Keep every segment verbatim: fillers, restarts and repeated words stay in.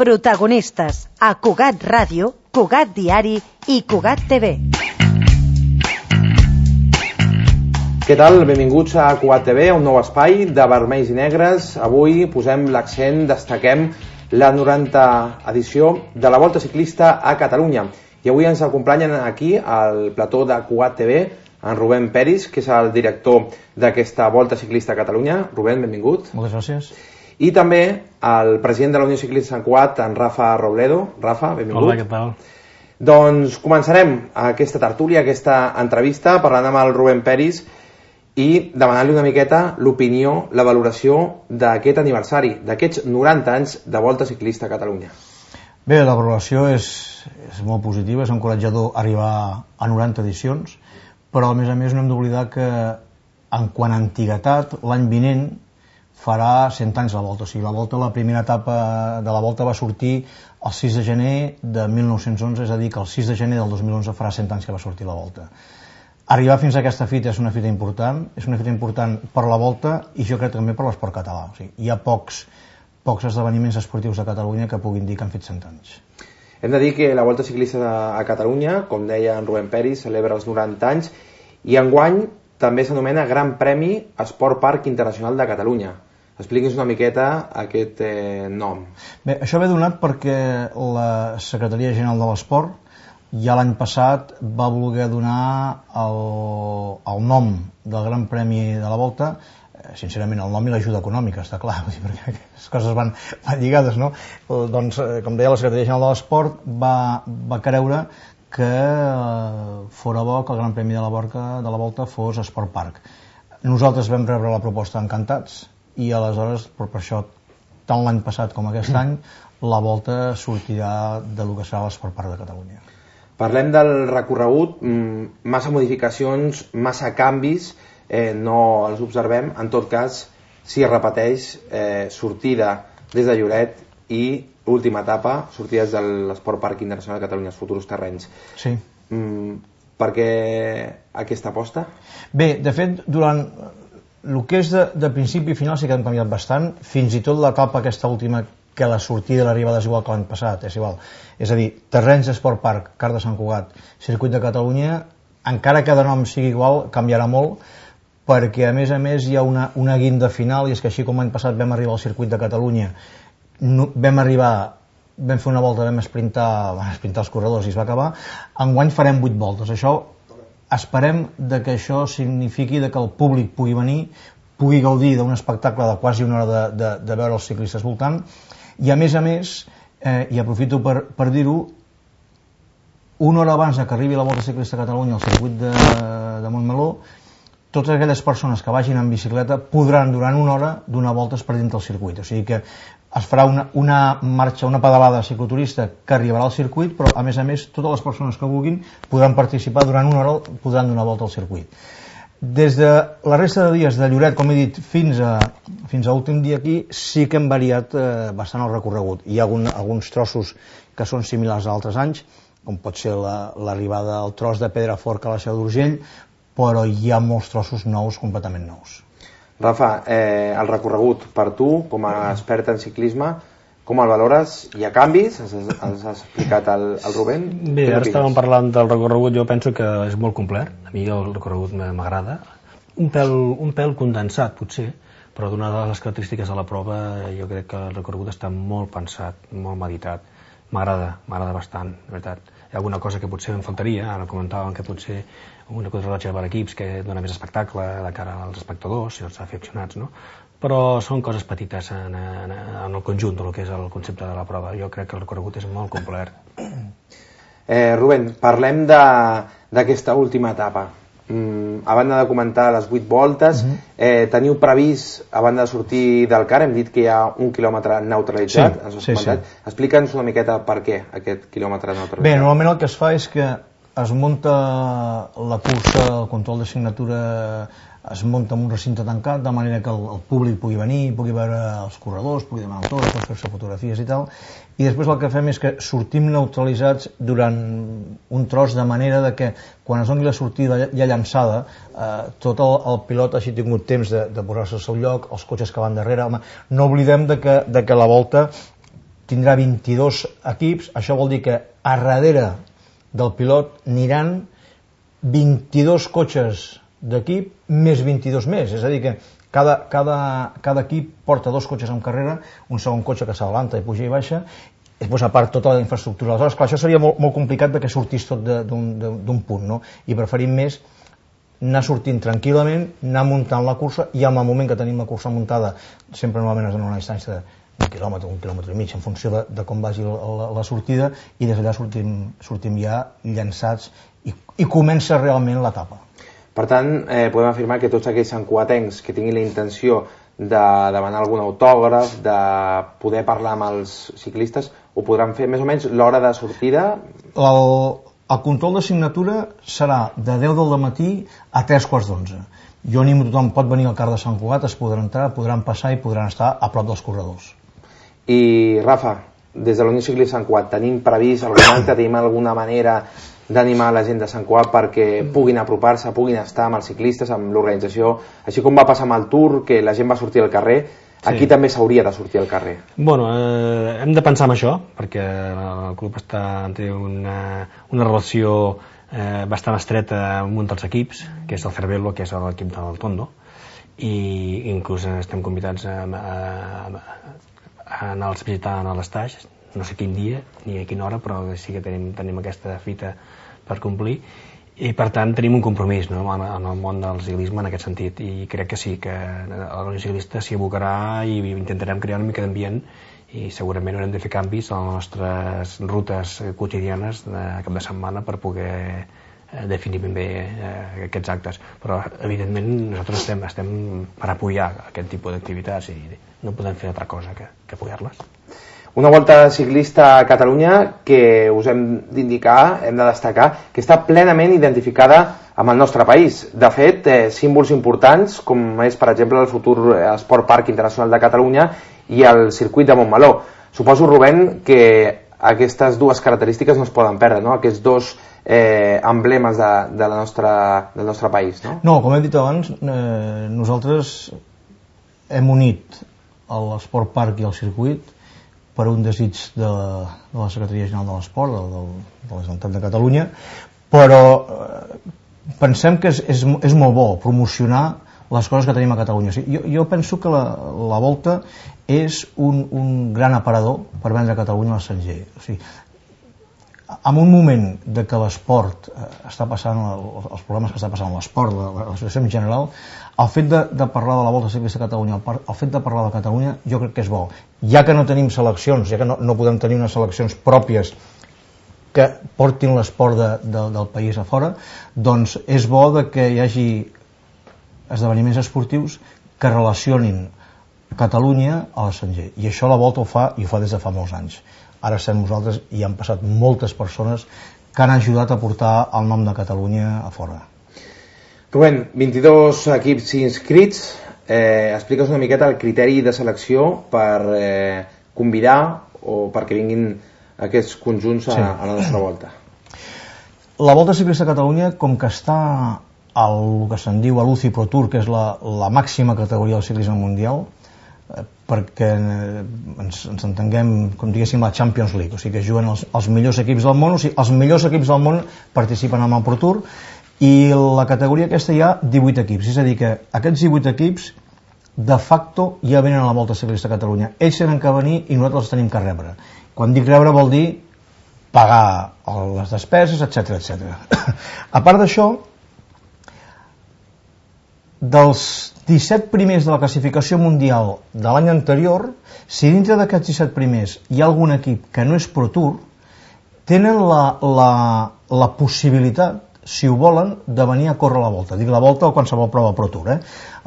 Protagonistes a Cugat Ràdio, Cugat Diari i Cugat T V. Què tal? Benvinguts a Cugat T V, un nou espai de vermells i negres. Avui posem l'accent, destaquem la norantena edició de la Volta Ciclista a Catalunya. I avui ens acompanyen aquí al plató de Cugat T V en Rubén Peris, que és el director d'aquesta Volta Ciclista a Catalunya. Rubén, benvingut. Moltes gràcies. I també el president de la Unió Ciclista Sant Cugat, en Rafa Robledo. Rafa, benvingut. Hola, què tal? Doncs començarem aquesta tertúlia, aquesta entrevista, parlant amb el Rubén Peris i demanant-li una miqueta l'opinió, la valoració d'aquest aniversari, d'aquests noranta anys de Volta Ciclista a Catalunya. Bé, la valoració és, és molt positiva, és encoratjador arribar a noranta edicions, però a més a més no hem d'oblidar que en quant a antiguitat, l'any vinent farà cent anys la Volta. O sigui, la Volta, la primera etapa de la Volta va sortir el sis de gener de mil nou-cents onze, és a dir, que el sis de gener del dos mil onze farà cent anys que va sortir la Volta. Arribar fins a aquesta fita és una fita important, és una fita important per la Volta i jo crec també per l'esport català. O sigui, hi ha pocs, pocs esdeveniments esportius de Catalunya que puguin dir que han fet cent anys. Hem de dir que la Volta Ciclista a Catalunya, com deia en Rubén Peris, celebra els noranta anys i enguany també s'anomena Gran Premi Esport Parc Internacional de Catalunya. Expliqui'ns una miqueta aquest eh, nom. Bé, això ve donat perquè la Secretaria General de l'Esport ja l'any passat va voler donar el, el nom del Gran Premi de la Volta, eh, sincerament el nom i l'ajuda econòmica, està clar, perquè les coses van, van lligades, no? Doncs, eh, com deia la Secretaria General de l'Esport, va, va creure que eh, fora bo que el Gran Premi de la, Borca, de la Volta fos Esport Parc. Nosaltres vam rebre la proposta encantats i aleshores, per això, tant l'any passat com aquest any, la Volta sortirà de lo que serà l'Esport Parc de Catalunya. Parlem del recorregut, massa modificacions, massa canvis, eh, no els observem. En tot cas, si es repeteix, eh, sortida des de Lloret i última etapa, sortida des de l'Esport Parc Internacional de Catalunya, els futurs terrenys. Sí. Mm, per què aquesta aposta? Bé, de fet, durant el que és de, de principi i final sí que han canviat bastant, fins i tot l'etapa aquesta última, que la sortida i l'arribada és igual que l'any passat, és igual. És a dir, terrenys d'Esport Parc, Car de Sant Cugat, Circuit de Catalunya, encara que de nom sigui igual, canviarà molt, perquè a més a més hi ha una, una guinda final, i és que així com l'any passat vam arribar al Circuit de Catalunya, no, vam arribar, vam fer una volta, vam esprintar, vam esprintar els corredors i es va acabar, enguany farem vuit voltes. Això, esperem de que això signifiqui de que el públic pugui venir, pugui gaudir d'un espectacle de quasi una hora de, de, de veure els ciclistes voltant, i a més a més, eh, i aprofito per, per dir-ho, una hora abans que arribi la Volta Ciclista a Catalunya al circuit de, de Montmeló, totes aquelles persones que vagin en bicicleta podran durant una hora donar voltes per dintre del circuit. O sigui que es farà una, una marxa, una pedalada cicloturista que arribarà al circuit, però a més a més totes les persones que vulguin podran participar durant una hora, podran donar volta al circuit. Des de la resta de dies de Lloret, com he dit, fins a, fins a l'últim dia aquí, sí que hem variat eh, bastant el recorregut. Hi ha algun, alguns trossos que són similars a altres anys, com pot ser l'arribada la, al tros de Pedraforca a la Seu d'Urgell, però hi ha molts trossos nous, completament nous. Rafa, eh, el recorregut per tu, com a expert en ciclisme, com el valores? Hi ha canvis? Els has explicat al, al Rubén? Bé, ara estàvem parlant del recorregut, jo penso que és molt complet, a mi el recorregut m'agrada, un pèl, un pèl condensat potser, però donades les característiques de la prova jo crec que el recorregut està molt pensat, molt meditat, m'agrada, m'agrada bastant, de veritat. Hi ha alguna cosa que potser em faltaria, ara comentàvem que potser una contrarellotge per equips que dona més espectacle de cara als espectadors i als aficionats, no? Però són coses petites en, en, en el conjunt del que és el concepte de la prova. Jo crec que el recorregut és molt complet. Eh, Rubén, parlem d'aquesta última etapa. Mm, a banda de comentar les vuit voltes, uh-huh. eh, teniu previst, a banda de sortir del car, hem dit que hi ha un quilòmetre neutralitzat. Sí, sí, sí. Explica'ns una miqueta per què aquest quilòmetre neutralitzat. Bé, normalment el que es fa és que es munta la cursa, el control de signatura es munta en un recinte tancat de manera que el, el públic pugui venir, pugui veure els corredors, pugui demanar autògrafs, fer-se fotografies i tal, i després el que fem és que sortim neutralitzats durant un tros de manera de que quan es doni la sortida ja llançada, eh, tot el, el pilot hagi tingut temps de, de posar-se al seu lloc, els cotxes que van darrere. Home, no oblidem de que, de que la volta tindrà vint-i-dos equips, això vol dir que a darrere del pilot aniran vint-i-dos cotxes d'equip més vint-i-dos més, és a dir que cada, cada, cada equip porta dos cotxes en carrera, un segon cotxe que s'adelanta i puja i baixa, i després a part tota la infraestructura. Aleshores, clar, això seria molt, molt complicat perquè sortís tot d'un punt, no? I preferim més anar sortint tranquil·lament, anar muntant la cursa, i en el moment que tenim la cursa muntada, sempre normalment es dona una distància d'un quilòmetre, un quilòmetre i mig, en funció de, de com vagi la, la, la sortida, i des d'allà sortim, sortim ja llançats i, i comença realment l'etapa. Per tant, eh, podem afirmar que tots aquells santcugatencs que tinguin la intenció de demanar algun autògraf, de poder parlar amb els ciclistes, ho podran fer més o menys l'hora de sortida? El, el control de signatura serà de deu del matí a tres quarts d'onze. Jo animo a tothom, pot venir al car de Sant Cugat, es podran entrar, podran passar i podran estar a prop dels corredors. I Rafa, des de la Unió Ciclista Sant Cugat, tenim previst alguna altra, tenim alguna manera d'animar la gent de Sant Cugat perquè puguin apropar-se, puguin estar amb els ciclistes, amb l'organització, així com va passar amb el Tour, que la gent va sortir al carrer, aquí sí. També s'hauria de sortir al carrer. Bueno, eh, hem de pensar en això, perquè el club està, té una, una relació eh, bastant estreta amb un dels equips, que és el Cervelo, que és l'equip del Tondo, i inclús estem convidats a, a, a anar-los visitant a l'estaix, no sé quin dia ni a quina hora, però sí que tenim, tenim aquesta fita per complir, i per tant tenim un compromís, no?, en, en el món del ciclisme en aquest sentit, i crec que sí, que la Unió Ciclista s'hi abocarà i intentarem crear una mica d'ambient, i segurament haurem de fer canvis a les nostres rutes quotidianes de cap de setmana per poder eh, definir ben bé eh, aquests actes, però evidentment nosaltres estem, estem per apoyar aquest tipus d'activitats i no podem fer altra cosa que, que apoyar-les. Una volta ciclista a Catalunya que us hem d'indicar, hem de destacar, que està plenament identificada amb el nostre país. De fet, eh, símbols importants, com és, per exemple, el futur Esport Parc Internacional de Catalunya i el circuit de Montmeló. Suposo, Rubén, que aquestes dues característiques no es poden perdre, no?, aquests dos eh, emblemes de, de la nostra, del nostre país. No? No, com he dit abans, eh, nosaltres hem unit l'Esport Parc i el circuit per un desig de, de la Secretaria General de l'Esport, de, de la Generalitat de Catalunya, però eh, pensem que és, és, és molt bo promocionar les coses que tenim a Catalunya. O sigui, jo, jo penso que la, la Volta és un, un gran aparador per vendre a Catalunya a l'estranger. O sigui, en un moment de que l'esport eh, està passant, els problemes que està passant l'esport, la, la situació en general, el fet de, de parlar de la Volta Ciclista a Catalunya, el, el fet de parlar de Catalunya, jo crec que és bo. Ja que no tenim seleccions, ja que no, no podem tenir unes seleccions pròpies que portin l'esport de, de, del país a fora, doncs és bo de que hi hagi esdeveniments esportius que relacionin Catalunya a l'estranger. I això la Volta ho fa, i ho fa des de fa molts anys. Ara estem nosaltres i han passat moltes persones que han ajudat a portar el nom de Catalunya a fora. Rubén, vint-i-dos equips inscrits, eh, explica'ns una miqueta el criteri de selecció per eh, convidar o perquè vinguin aquests conjunts a, sí. a la nostra volta. La Volta Ciclista a Catalunya, com que està al que se'n diu a l'U C I Pro Tour, que és la, la màxima categoria del ciclisme mundial, perquè ens, ens entenguem, com diguéssim, la Champions League, o sigui que juguen els, els millors equips del món, o sigui, els millors equips del món participen en el Pro Tour, i la categoria aquesta hi ha divuit equips, és a dir que aquests divuit equips de facto ja venen a la Volta Ciclista a Catalunya. Ells tenen que venir i nosaltres els tenim que rebre. Quan dic rebre vol dir pagar les despeses, etcètera, etcètera. A part d'això, dels disset primers de la classificació mundial de l'any anterior, si dintre d'aquests disset primers hi ha algun equip que no és Pro Tour, tenen la, la, la possibilitat, si ho volen, de venir a córrer la Volta. Dic la Volta o qualsevol prova Pro Tour. Eh?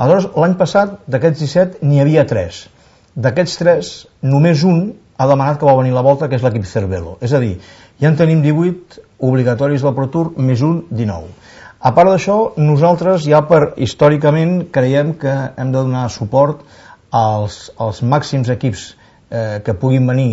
Aleshores, l'any passat, d'aquests disset, n'hi havia tres. D'aquests tres, només un ha demanat que vol venir a la Volta, que és l'equip Cervelo. És a dir, ja en tenim divuit obligatoris del Pro Tour, més un, dinou. A part d'això, nosaltres ja per històricament creiem que hem de donar suport als, als màxims equips eh, que puguin venir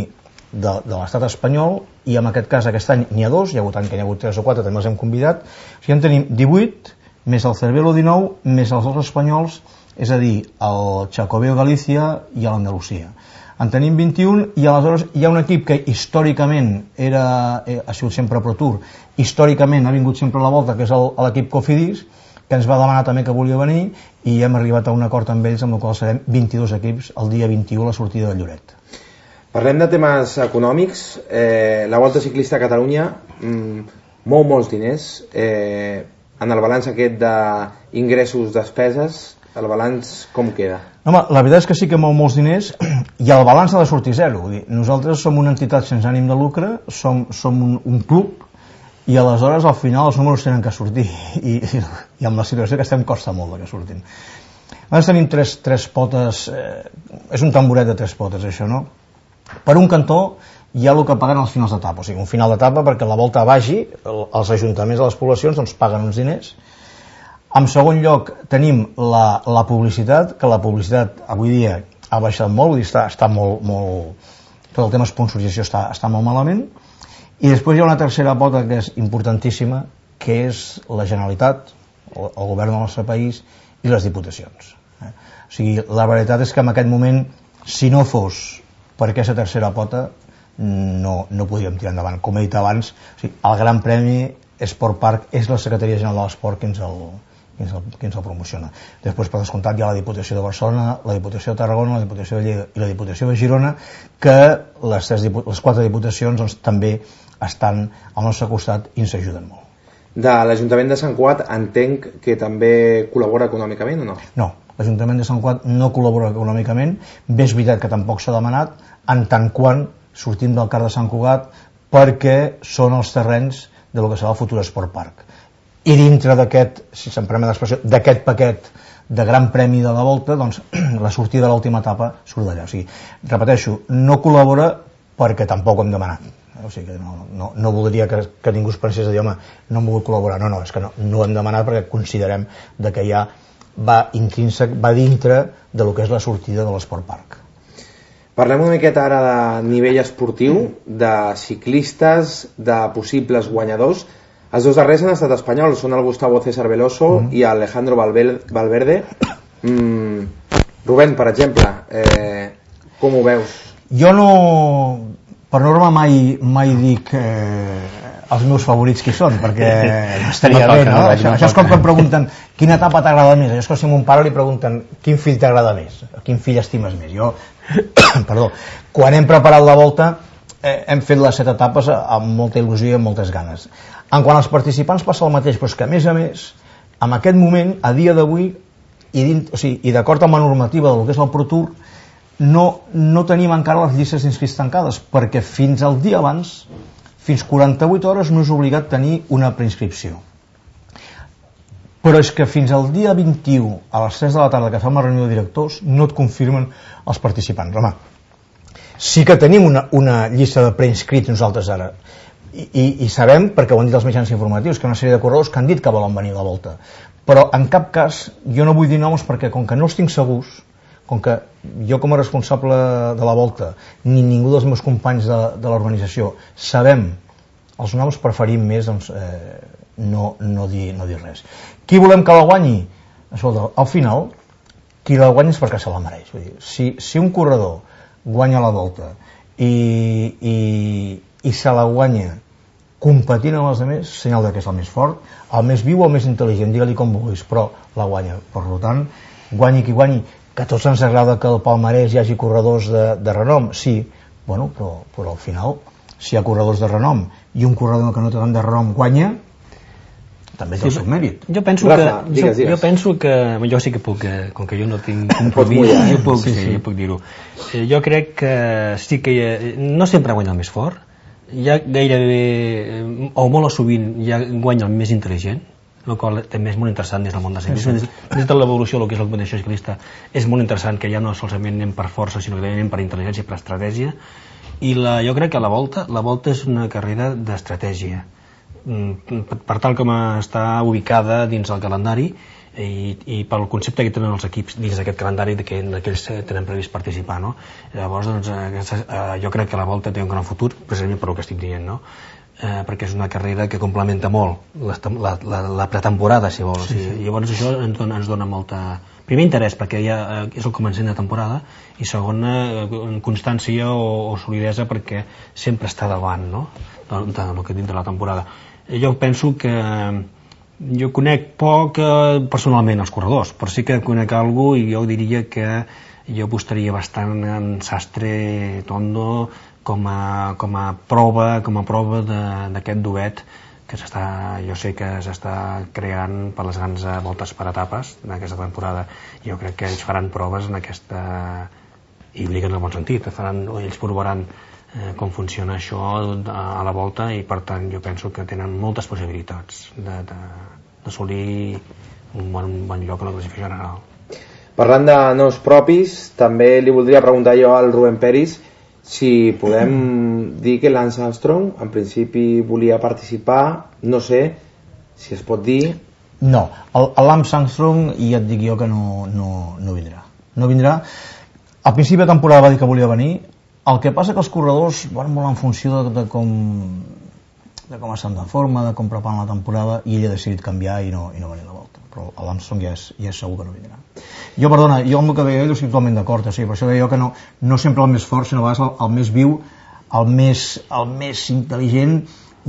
de, de l'estat espanyol, i en aquest cas aquest any n'hi ha dos, hi ha hagut any que n'hi ha hagut tres o quatre, també els hem convidat. O sigui, en tenim divuit, més el Cervelo dinou, més els dos espanyols, és a dir, el Xacobeo Galícia i l'Andalusia. En tenim vint-i-un i aleshores hi ha un equip que històricament era, ha sigut sempre Pro Tour, històricament ha vingut sempre a la volta, que és el, l'equip Cofidis, que ens va demanar també que volia venir i hem arribat a un acord amb ells amb el qual serem vint-i-dos equips el dia vint-i-u a la sortida de Lloret. Parlem de temes econòmics. Eh, la Volta Ciclista a Catalunya mm, mou molts diners. Eh, en el balanç aquest d'ingressos, despeses, el balanç com queda? Home, la veritat és que sí que mou molts diners i el balanç ha de sortir zero. Vull dir, nosaltres som una entitat sense ànim de lucre, som, som un, un club i aleshores al final els números tenen que sortir i, i, i amb la situació que estem costa molt que surtin. Nosaltres tenim tres, tres potes, eh, és un tamboret de tres potes això, no? Per un cantó hi ha el que paguen als finals d'etapa, o sigui, un final d'etapa perquè la volta vagi, els ajuntaments de les poblacions doncs paguen uns diners. En segon lloc tenim la, la publicitat, que la publicitat avui dia ha baixat molt, vull dir, està, està molt, molt, tot el tema sponsorització està, està molt malament. I després hi ha una tercera pota que és importantíssima, que és la Generalitat, el, el govern del nostre país i les diputacions. Eh? O sigui, la veritat és que en aquest moment, si no fos per aquesta tercera pota, no, no podríem tirar endavant. Com he dit abans, o sigui, el Gran Premi Esport Park és la Secretaria General de l'Esport qui ens el, qui ens el, qui ens el promociona. Després, per descomptat, hi ha la Diputació de Barcelona, la Diputació de Tarragona, la Diputació de Lleida i la Diputació de Girona, que les, tres, les quatre diputacions doncs, també estan al nostre costat i ens ajuden molt. De l'Ajuntament de Sant Cugat entenc que també col·labora econòmicament o no? No, l'Ajuntament de Sant Cugat no col·labora econòmicament, bé és veritat que tampoc s'ha demanat, en tant quan sortim del CAR de Sant Cugat perquè són els terrenys de lo que serà el futur Esport Park. I dintre d'aquest, si se'm permet l'expressió, d'aquest paquet de Gran Premi de la Volta, doncs la sortida de l'última etapa surt d'allà. O sigui, repeteixo, no col·labora perquè tampoc ho hem demanat. O sigui que no, no, no voldria que, que ningú es pensés de dir, home, no hem volgut col·laborar. No, no, és que no, no ho hem demanat perquè considerem de que ja va intrínsec, va dintre de lo que és la sortida de l'Esport Park. Parlem una miqueta ara de nivell esportiu, de ciclistes, de possibles guanyadors. Els dos darrers han estat espanyols, són el Gustavo César Veloso mm. i Alejandro Valverde. Mm, Rubén, per exemple, eh, com ho veus? Jo no, per norma mai, mai dic eh, els meus favorits qui són, perquè no estaria no bé, no? no? Això, això és com quan pregunten quina etapa t'agrada més. Això és com si a mon pare li pregunten quin fill t'agrada més, quin fill estimes més. Jo, perdó, quan hem preparat la volta eh, hem fet les set etapes amb molta il·lusió i amb moltes ganes. En quant als participants passa el mateix, però és que a més a més, en aquest moment, a dia d'avui, i, o sigui, i d'acord amb la normativa del que és el Pro Tour, no, no tenim encara les llistes d'inscrits tancades, perquè fins al dia abans, fins quaranta-vuit hores, no és obligat tenir una preinscripció. Però és que fins al dia vint-i-u, a les tres de la tarda, que fem la reunió de directors, no et confirmen els participants. Home, sí que tenim una, una llista de preinscrits nosaltres ara, I, i, i sabem, perquè ho han dit els mitjans informatius, que hi ha una sèrie de corredors que han dit que volen venir a la volta, però en cap cas jo no vull dir noms perquè com que no els tinc segurs, com que jo com a responsable de la volta ni ningú dels meus companys de, de l'organització sabem els noms, preferim més doncs, eh, no, no, dir, no dir res. Qui volem que la guanyi? Escolta, al final qui la guanyi és perquè se la mereix. Vull dir, si, si un corredor guanya la volta i, i i se la guanya competint amb els altres, senyal que és el més fort, el més viu o el més intel·ligent, digue-li com vulguis, però la guanya. Per tant, guanyi qui guanyi, que a tots ens agrada que al palmarès hi hagi corredors de, de renom, sí, bueno, però, però al final, si hi ha corredors de renom i un corredor que no té tant de renom guanya, també és el seu mèrit. Jo penso Rafa, que, digues, jo, digues. jo penso que, jo sí que puc, com que jo no tinc compromís, mullar, jo puc, sí, sí, sí. jo puc dir-ho. Jo crec que sí que ha, no sempre guanya el més fort, ja gairebé, o molt o sovint, ja guanya el més intel·ligent, el qual també és molt interessant des del món de ciclisme. Sí, sí. Des de l'evolució del que és la competició ciclista és molt interessant que ja no solament anem per força, sinó que anem per intel·ligència i per estratègia. I la, jo crec que la volta, la volta és una carrera d'estratègia. Per tal com està ubicada dins el calendari i, i pel concepte que tenen els equips dins d'aquest calendari de que aquells tenen previst participar, no? Llavors doncs, aquesta, eh, jo crec que la volta té un gran futur precisament per el que estic dient, no? Eh, perquè és una carrera que complementa molt la, la, la, la pretemporada, si vols. Sí, sí. I llavors això ens dona, ens dona molta primer interès, perquè ja és el començament de temporada, i segona, constància o, o solidesa, perquè sempre està davant, no?, del que dintre la temporada. Jo penso que jo conec poc eh, personalment els corredors, però sí que conec algú, i jo diria que jo apostaria bastant en Sastre Tondo com a, com a prova com a prova d'aquest duet que s'està, jo sé que s'està creant per les grans voltes per etapes d'aquesta temporada. Jo crec que ells faran proves en aquesta, i ho dic en el bon sentit, faran, ells provaran eh, com funciona això a la volta, i per tant jo penso que tenen moltes possibilitats d'assolir un bon, un bon lloc a la classificació general. Parlant de noms propis, també li voldria preguntar jo al Rubén Peris si podem dir que Lance Armstrong en principi volia participar, no sé si es pot dir. No, el, el Lance Armstrong, i et dic jo que no, no, no vindrà. No vindrà. Al principi de temporada va dir que volia venir. El que passa que els corredors van molt en funció de, de com de com estan de forma, de com preparen la temporada, i ell ha decidit canviar i no, i no venir a la volta. Però l'Armstrong ja, és, ja és segur que no vindrà. Jo, perdona, jo amb el que deia ell estic totalment d'acord, o sigui, per això deia jo que no, no sempre el més fort, sinó a vegades el, el més viu, el més, el més intel·ligent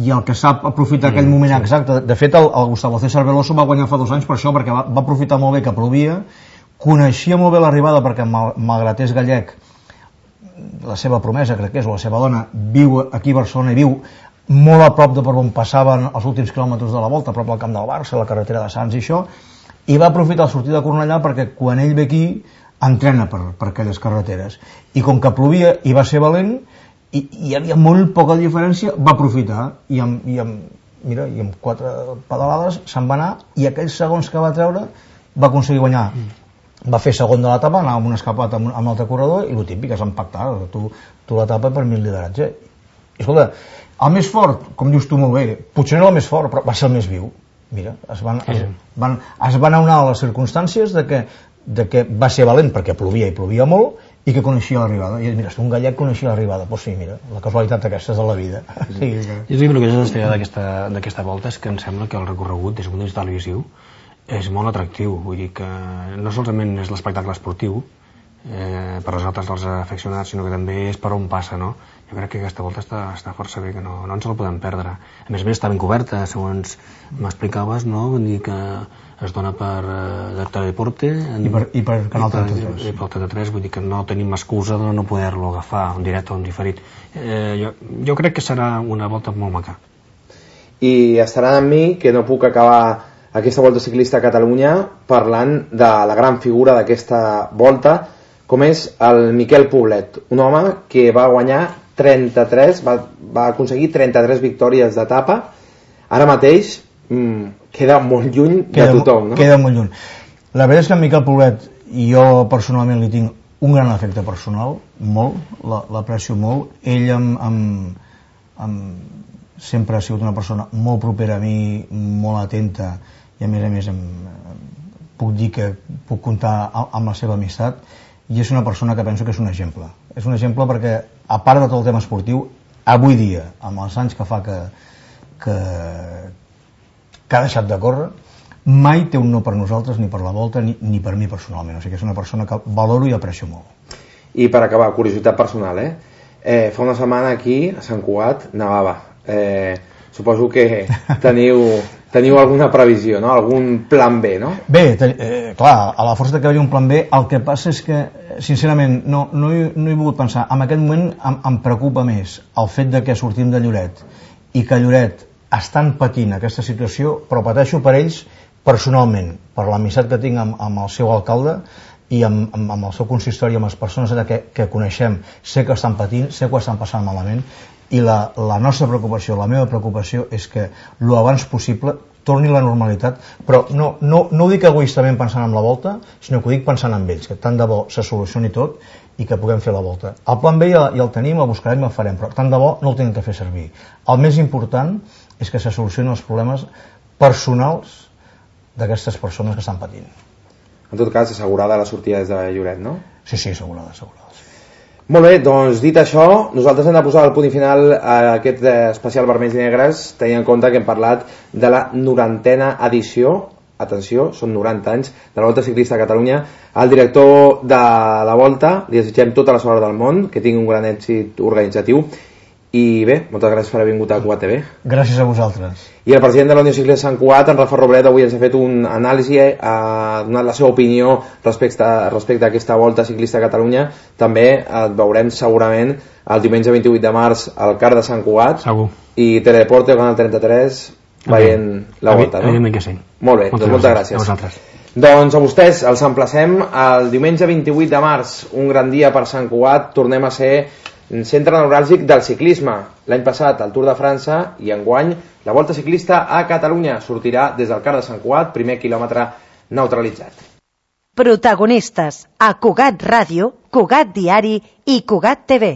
i el que sap aprofitar aquell moment exacte. De fet, el, el Gustavo César Veloso va guanyar fa dos anys per això, perquè va, va aprofitar molt bé que plovia, coneixia molt bé l'arribada, perquè mal, malgrat és gallec, la seva promesa, crec que és, o la seva dona, viu aquí a Barcelona i viu molt a prop de per on passaven els últims quilòmetres de la volta, a prop del camp del Barça, la carretera de Sants i això, i va aprofitar la sortida de Cornellà perquè quan ell ve aquí entrena per, per aquelles carreteres, i com que plovia i va ser valent i hi havia molt poca diferència, va aprofitar i amb, i amb, mira, i amb quatre pedalades se'n va anar, i aquells segons que va treure va aconseguir guanyar. Va fer segon de l'etapa, anava amb un escapat amb, amb l'altre corredor, i el típic és empactar, tu, tu l'etapa per mi el lideratge. I escolta, el més fort, com dius tu molt bé, potser no era el més fort, però va ser el més viu. Mira, es van, es, van, es van aunar a les circumstàncies de que, de que va ser valent perquè plovia i plovia molt, i que coneixia l'arribada. I mira, un gallec coneixia l'arribada. Doncs sí, mira, la casualitat aquesta és de la vida. Sí, que... Jo dic, el que és destacar d'aquesta volta és que em sembla que el recorregut des d'un punt de vista televisiu és molt atractiu. Vull dir que no solament és l'espectacle esportiu eh, per nosaltres els afeccionats, sinó que també és per on passa, no? Jo crec que aquesta volta està, està força bé, que no, no ens la podem perdre. A més a més està ben coberta, segons m'explicaves, no? Vull dir que es dona per eh, Teledeporte en, I, per, i per Canal trenta tres. I per trenta tres, vull dir que no tenim excusa de no poder-lo agafar en directe o en diferit. Eh, jo, jo crec que serà una volta molt maca. I estaran amb mi que no puc acabar aquesta volta ciclista a Catalunya parlant de la gran figura d'aquesta volta, com és el Miquel Poblet, un home que va guanyar trenta-tres, va, va aconseguir trenta-tres victòries d'etapa. Ara mateix mmm, queda molt lluny queda, de tothom, no? Queda molt lluny. La veritat és que en Miquel Poblet, jo personalment li tinc un gran efecte personal, molt, l'aprecio molt. Ell amb, amb, amb, sempre ha sigut una persona molt propera a mi, molt atenta, i a més a més em, puc dir que puc comptar amb la seva amistat, i és una persona que penso que és un exemple. És un exemple perquè, a part de tot el tema esportiu, avui dia, amb els anys que fa que, que, que ha deixat de córrer, mai té un no per nosaltres, ni per la volta, ni, ni per mi personalment. O sigui que és una persona que valoro i aprecio molt. I per acabar, curiositat personal, eh? eh fa una setmana aquí, a Sant Cugat, nevava. Eh, suposo que teniu... Teniu alguna previsió, no? Algun plan B, no? Bé, eh, clar, a la força que hi hagi un plan B, el que passa és que, sincerament, no, no, he, no he volgut pensar. En aquest moment em, em preocupa més el fet de que sortim de Lloret i que Lloret estan patint aquesta situació, però pateixo per ells personalment, per l'amistat que tinc amb, amb el seu alcalde i amb, amb, amb el seu consistori, amb les persones que, que coneixem. Sé que estan patint, sé que ho estan passant malament, i la, la nostra preocupació, la meva preocupació és que lo abans possible torni la normalitat, però no, no, no ho dic egoistament pensant en la volta, sinó que ho dic pensant en ells, que tant de bo se solucioni tot i que puguem fer la volta. El plan B ja, ja el tenim, el buscarem i el farem, però tant de bo no el tenim que fer servir. El més important és que se solucionin els problemes personals d'aquestes persones que estan patint. En tot cas, assegurada la sortida des de Lloret, no? Sí, sí, assegurada, assegurada. Molt bé, doncs dit això, nosaltres hem de posar el punt final a aquest especial Vermells i Negres, tenint en compte que hem parlat de la norantena edició atenció, són noranta anys de la Volta Ciclista a Catalunya. Al director de la Volta li desitgem tota la sort del món, que tingui un gran èxit organitzatiu. I bé, moltes gràcies per haver vingut a Cugat T V. Gràcies a vosaltres. I el president de la Unió Ciclista Sant Cugat, en Rafa Roblet, avui ens ha fet un anàlisi, ha donat la seva opinió respecte, respecte a aquesta Volta Ciclista a Catalunya. També et veurem segurament el diumenge vint-i-vuit de març al Car de Sant Cugat. Segur. I Teledeporte, Canal trenta-tres, veient la Volta, no? Evidentment que sí. Molt bé, moltes, doncs moltes gràcies. A vosaltres. Doncs a vostès els emplacem el diumenge vint-i-vuit de març, un gran dia per Sant Cugat. Tornem a ser centre neuràlgic del ciclisme. L'any passat el Tour de França i enguany la Volta Ciclista a Catalunya sortirà des del Car de Sant Cugat, primer quilòmetre neutralitzat. Protagonistes a Cugat Ràdio, Cugat Diari i Cugat T V.